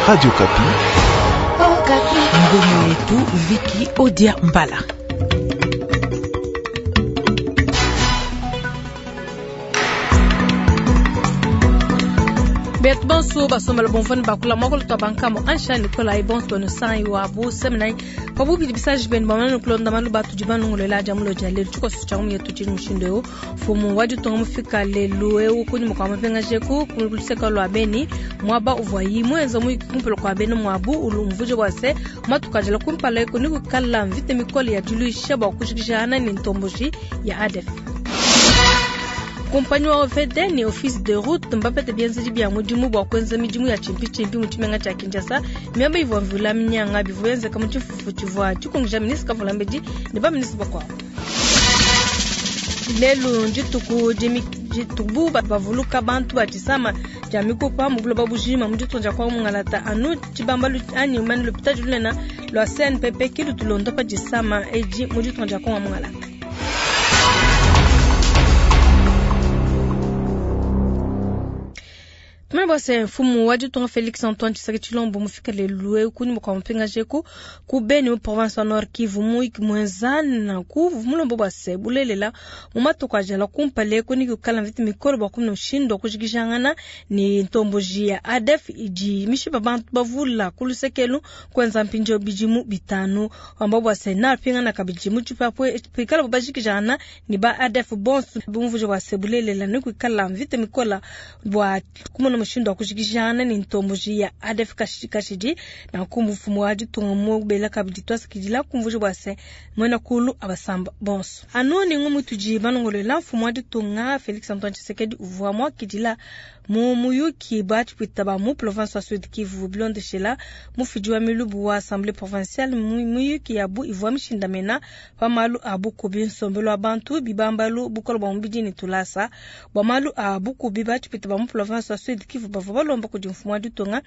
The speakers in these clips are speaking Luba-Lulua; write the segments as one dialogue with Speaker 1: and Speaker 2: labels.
Speaker 1: Radio Okapi.
Speaker 2: Ngumu yetu Viki Odia Mbala.
Speaker 3: Betu bonso basombela bomvani bakula mwakolo twa bankamo ansha nikolai bonto sai wa bu seminai pabubidi bisaji benu bamana kulonda malu batu dibanungulela dia mulo dia lelu tshikoso tshia yetu tshili mushindu eu fumu wa ditunga mufika lelu eu kunyima kua mapingaje ku kuluseka lua beni muaba uvua muenza muyiki kumpala kua bena muabu ulumvuje bua se matukajila kumpala eku ni kukala mvita mikole ya diluisha bua kujikijana ni ntomboji ya ADF. Kumpanyi wa OVD ni office de route mbapete bienzedi bia mudimu bua kuenza midimu ya tshimpitshimpi mu tshimenga tshia Kinshasa. Miaba ivua mvula minyanga bivua bienzeka mu tshifufu tshivua tshikungija ministre Kavulambedi ne baministre bakuabu. Lelu ndituku ditubu bavuluka bantu ba tshisama tshia mikupa mu buloba bujima mu ditunga dia Kongo mungalata anu tshibambalu anyi mane lupitadi lunene lua CNPP ki lutulonda pa disama edi mu ditunga dia Kongo mungalata. Tumene bua se mfumu wa ditunga Felix Antoine Tshisekedi Tshilombo mufika lelu eu kunyima kua mupingaje ku ku Beni mu province wa Nord Kivu muyiki muenza nanku mulombo bua se bulelela mu matuku ajala kumpala eku ni kukala mvita mikole bua kumona mushindu wa kujikijangana ni ntomboji ya ADF idi mishipa bantu bavula ku lusekelu kuenza mpindieu bidimu bitanu wamba bua se napingana kabidi mu tshipapue pikala bajikijana ni ba ADF bonso bumvuje bua se bulelela ni kuikala mvita mikole bua kumona mushindu wa kujikijana ni ntomboji ya ADF kashidi na kumbufumu wa ditunga mubela kabidi twasikidila kumvuje bua se mwena kulu abasamba bonso anu ni ngumu tudi banongolela mfumu wa ditunga Felix Antoine Tshisekedi uvua muakidila mu muyuki batshipwita ba mu province wa Sud Kivu bilondeshela mufidi wa milubu wa assemblée provinciale muyuki yabu ivua mishindamena pa malu a bukubi nsombelu wa bantu bibambalu bukole bua mubidi ne tulasa bua malu a bukubi batshipwita ba mu province wa Sud Kivu bavua balomba kudi mfumu wa ditunga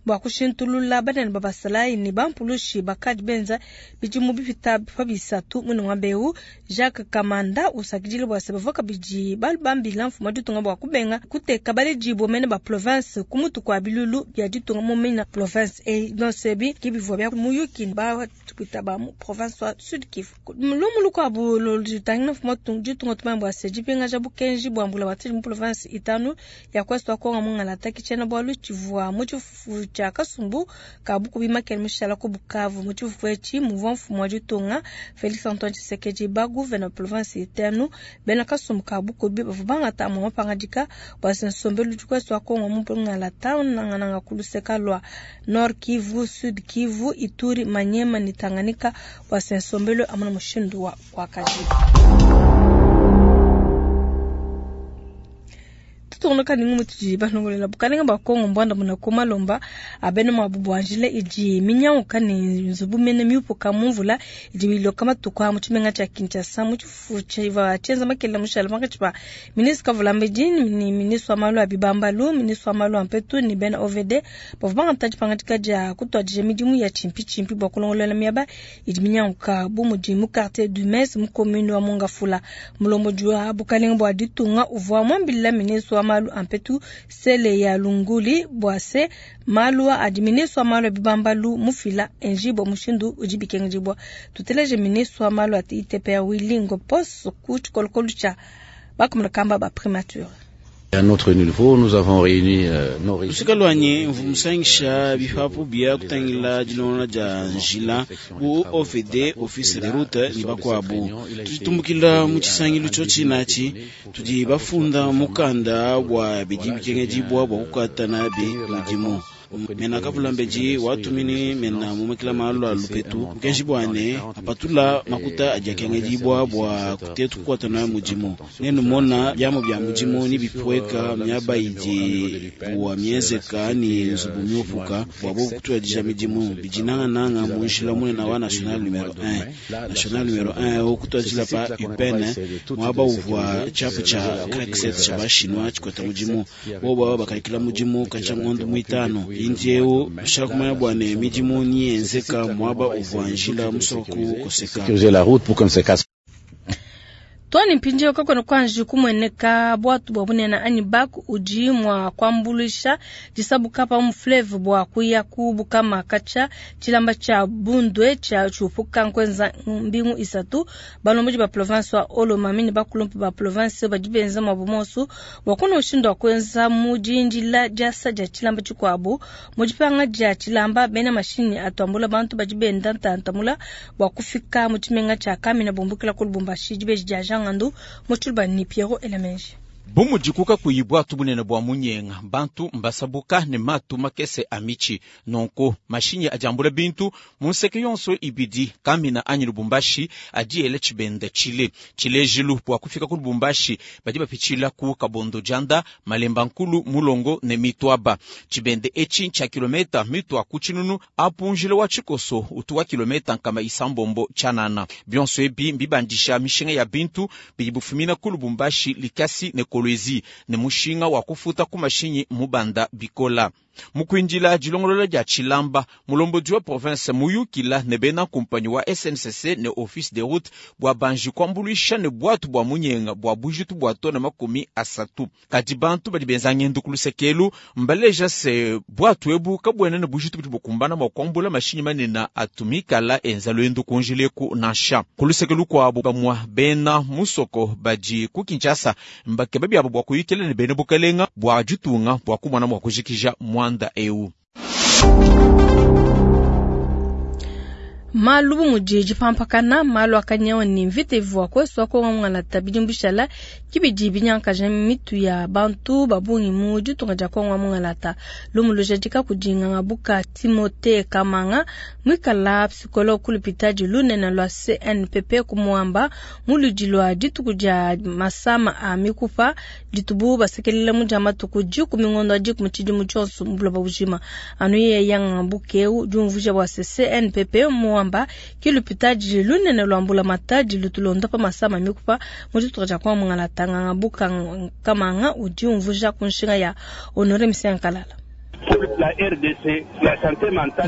Speaker 3: bua kushintulula banene ba basalayi ne bampulushi bakadi benza bidimu bipita pa bisatu mune muaba eu. Jacques Kamanda usakidile bua se bavua kabidi bambila mfumu wa ditunga bua kubenga kuteka baledi mene ba province ku mutu kua bilulu bia ditunga mu mina province e bionso ebi ke bivua bia muyuki batupita ba mu province wa Sud Kivu. Lumu lukuabu lutangila mfumu wa ditunga tumanya bua se dipingaja bukenji bua mbula batidi mu province itanu ya ku est wa Kongo mungalata ki tshiena bualu tshivua mu tshifufu tshia kasumbu ka bukubi makele mushala ku Bukavu. Mu tshifufu etshi muvua mfumu wa ditunga Felix Antoine Tshisekedi ba gouverneur province itanu bena kasumbu ka bukubi bavua bangata amue mapangadika bua se nsombelu ku est wa Kongo mu mungalata nangananga ku luseka lua Nord Kivu, Sud Kivu, Ituri, Maniema ne Tanganyika bua se nsombelu amuna mushindu wa kuakaji. Tutungunuka ni ngumu tudi banongolela bukalenga bua Kongo mbwanda muna ku malomba abene muabu bua njila idi minyanguka ne nzubu mene miupuka mu mvula idi miloka matuku a mu tshimenga tshia Kinshasa mu tshifufu tshivua tshienza makelela mushala pankatshi pa ministre Kavulambedi ni ministre wa malu a bibambalu, ministre wa malu a mpetu ne bena OVD bavua bangata dipangadika dia kutuadija midimu ya tshimpitshimpi bua kulongolola miaba idi minyanguka bu mudi mu quartier du Mes mu commune wa Mongafula. Mulombodi wa bukalenga bua ditunga uvua muambila ministre wa malu a mpetu sele ya lunguli bua se malu adi ministre wa malu a bibambalu mufila enjibwa mushindu udi bikengedibwa. Tuteleje ministre wa malu a ITPR Willy Ngopos ku tshikolokolo tshia bakumulakamba ba primature.
Speaker 4: À notre niveau, nous avons réuni nos
Speaker 5: lusika lwanyi mvu musangisha bipapu bia kutangila dilongola dia njila bu OVD office de route ni bakuabu tuditumbukila mu tshisangilu tshiotshi natshi tudi bafunda mukanda bua bidi bikengedibua bua kukata nabi mudimu mena Kavulambedi watumini mena mumakila malu a lupetu bukenji bua ne apatula makuta adi akengedibua bua kutetu kukwatana mudimu nenumona biamu bia mudimu ni bipueka miaba idi bua mienzeka ni nzubu miupuka bua bobu kutuadija midimu bidi nangananga mu njila munene wa national numero 1 national numero 1 okutuadila pa UPN muaba uvua tshiapu tshia crack 7 tshia bashinwa tshikwata mudimu bobu aba bakalikila mudimu katshia ngondo muitano indieu ushala kumanya bua ne midimu niyenzeka muaba uvua njila musoko koseka.
Speaker 4: Sécuriser la route pour qu'on ne se casse.
Speaker 3: Too ne mpindieu kakuena kuanji kumueneka buatu bua bunene anyi bac udi mua kuambuluisha disabuka pa mu fleuve bua kuya ku Bukama katshia tshilamba tshia Bundwe tshia tshiupuka nkuenza mbingu isatu. Balombodi ba province wa Haut-Lomami ne bakulumpe ba province badi benza muabu muonso bua kuna mushindu wa kuenza mu dindila diasa dia tshilamba tshikuabu. Mu dipanga dia tshilamba, bena mashinyi atu ambula bantu badi benda ntanta mula bua kufika mu tshimenga tshia Kamina bumbukila ku Lubumbashi. Dibeji dia Jean Ngandu mu Tshiluba ne Pierrot Elamenji.
Speaker 1: Bu mudiku kakuyi buatu bunene bua munyenga, bantu mbasabuka ne matu makese a mitshi. Nunku mashinyi adi ambula bintu mu nseke yonso ibidi, Kamina anyi Lubumbashi, adi ela tshibenda tshile. Tshilejilu, bua kufika ku Lubumbashi badi bapitshila ku Kabondo Dianda, Malemba Nkulu, Mulongo ne Mitwaba. Tshibende etshi ntshia kilometa mitua ku tshinunu, apu njila wa tshikoso utu wa kilometa 600 tshianana. Bionso ebi mbibandisha mishinga ya bintu bidi bifumina ku Lubumbashi, Likasi ne Kolwezi, ne mushinga wa kufuta ku mashinyi mubanda bikola. Mu kuindila dilongolola dia tshilamba, mulombodi wa province muyukila ne bena kumpanyi wa SNCC ne Office des routes bua banji kuambuluisha ne buatu bua munyenga bua bujitu bua tona 30. Kadi bantu badi benza ngendu ku luseke elu mbaleja se buatu ebu kabuena ne bujitu budi bukumbana mua kuambula mashinyi manene atu mikala enza luendu ku njila eku nansha. Ku luseke lukuabu, bamue bena musoko badi ku Kinshasa mbakeba biabu bua kuyukila ne bena bukalenga bua ditunga bua kumona mua kujikija muanda eu.
Speaker 3: Malu bu mudi dipampakana, malu a kanyawu ne mvita ivua kuesu aku muangalata bidimu bishala ke bidi binyankaja mitu ya bantu ba bungi mu ditunga dia Kongo wa mungalata. Lumu lujadika kudi Ngangabuka Timothee Kamanga, muikala psychologue ku lupitadi lunene lua CNPP ku Moamba, mu luidi lua dituku dia masama a mikupa ditubu basekelela mu dia matuku 10 ngondo wa 10 tshidimu tshionso mu buloba bujima. Anu yeye Ngangabuka eu diumvuija bua se CNPP Moamba ke lupitadi lunene lua mbulamatadi lutulonda pa masama mikupa mu ditunga dia Kongo mungalata. Ngangabuka Kamanga udi umvuija ku nshinga ya Honore Misenkalala.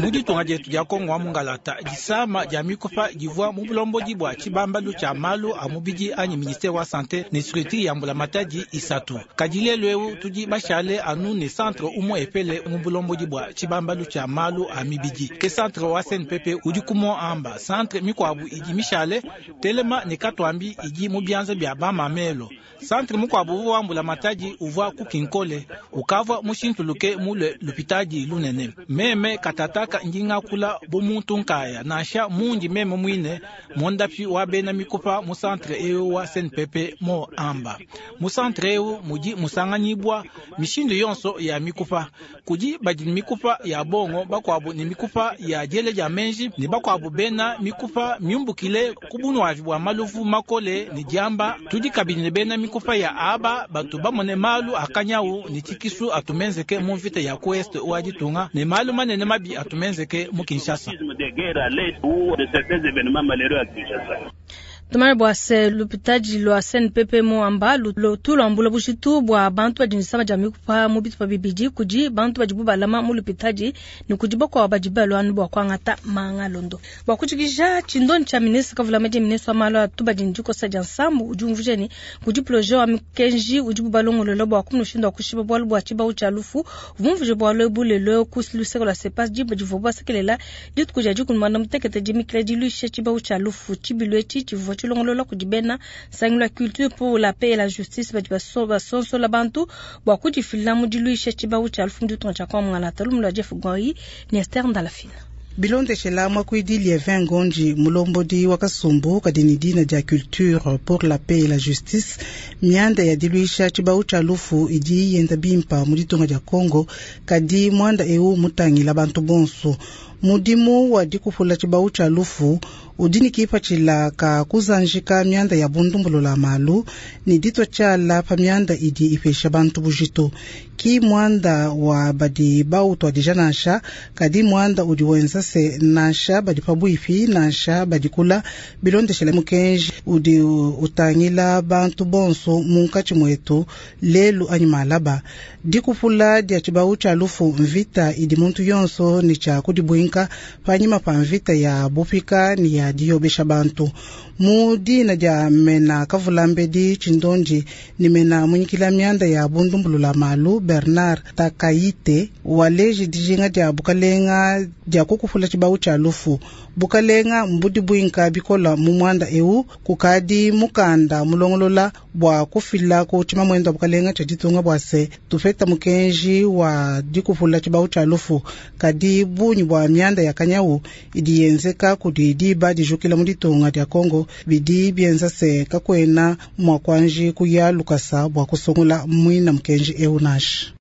Speaker 6: Mu ditunga dietu dia Kongo wa mungalata, disama dia mikupa divua mu bulombodi bua tshibambalu tshia malu a mubidi anyi ministère wa santé ne structure ya mbulamatadi isatu. Kadi lelu eu tudi bashale anu ne centre umue epele mu bulombodi bua tshibambalu tshia malu a mibidi, ke centre wa CNPP udi ku Moamba. Centre mikuabu idi mishale Telema ne Katwambi idi mu bianza bia bamamelo. Centre mukuabu uvua wa mbulamatadi uvua ku Kinkole ukavua mushintuluke mulue lupitadi lunene. Meme katataka ndi ngakula bu muntu nkaya, nansha mundi meme muine mondapi wa bena mikupa mu centre eu wa CNPP Moamba. Mu centre eu mudi musanganyibua mishindu yonso ya mikupa. Kudi badi ne mikupa ya bongo, bakuabu ne mikupa ya diele dia menji, ne bakuabu bena mikupa miumbukile ku bunuavi bua maluvu makole ne diamba. Tudi kabidi ne bena mikupa ya aba batu bamone malu a kanyawu ne tshikisu atumenzeke mu mvita ya ku est wa ditunga ne malu manene mabi atumenzeke mu Kinshasa.
Speaker 3: Tumanye bua se lupitadi lua CNPP Moamba lutu luambula bujitu bua bantu badi ne disama dia mikupa mu bitupa bibidi, kudi bantu badibu balama mu lupitadi ne kudi bakuabu badi balua anu bua kuangata manga londo. Bua kujikija tshindonyi tshia ministre Kavulamedi, ministre wa malu a tubadi ne dikosa dia nsambu udi umvuija ne kudi projet wa mikenji udibu balongolola bua kumona mushindu wa kushipa bualu bua tshibawu tshia lufu. Uvua bualu ebu lelu ku luseke lua CEPAS diba divuabu basekelela dituku dia 16 dimikila diluisha tshibawu tshia lufu. Tshibilu etshi tshivua tshilongolola kudi bena Nsangilu wa Culture pour la paix et la justice badi basonsola bantu bua kudifila mu diluisha tshibawu tshia lufu mu ditunga tshia Kongo mungalata. Lumu lua Jeff Goyi ne Esther Ndalafina.
Speaker 7: Bilondeshela mwakuidi Lievin Ngonji, mulombodi wa kasumbu kadi ne dina dia Culture pour la paix et la justice, mianda ya diluisha tshibawu tshia lufu idi yenda bimpa mu ditunga dia Kongo, kadi muanda eu mutangila bantu bonso. Mudimu wa dikupula tshibawu tshia lufu udi ne kipatshila ka kuzanjika mianda ya bundumbulula malu ne ditwa tshiala pa mianda idi ipesha bantu bujitu. Ki muanda wa badi bautwadija nansha, kadi muanda udi wenza se nansha badi pabuipi nansha badi kula bilondeshele mukenji udi utangila bantu bonso munkatshi mwetu lelu anyi malaba. Dikupula dia tshibawu tshia lufu mvita idi muntu yonso ne tshia kudibuinka. buinka panyima pa mvita ya bupika ne ya diyobesha bantu. Mu dina dia mena kavulambedi tshindondi ne mena munyikila mianda ya bundumbulula malu Bernard Takaite waleji dijinga dia bukalenga dia kukupula tshibawu tshia lufu. Bukalenga mbudi buinka bikola mu mwanda eu kukadi mukanda mulongolola bua kufila ku tshimamwendo wa bukalenga tshia ditunga bua se tupeta mukenji wa dikupula tshibawu tshia lufu. Kadi bunyi bua mianda ya kanyawu idi yenzeka kudi diba dijukila mu ditunga dia Kongo bidi bienza se kakwena mua kuanji kuya lukasa bua kusungula mwina mukenji eu nansha.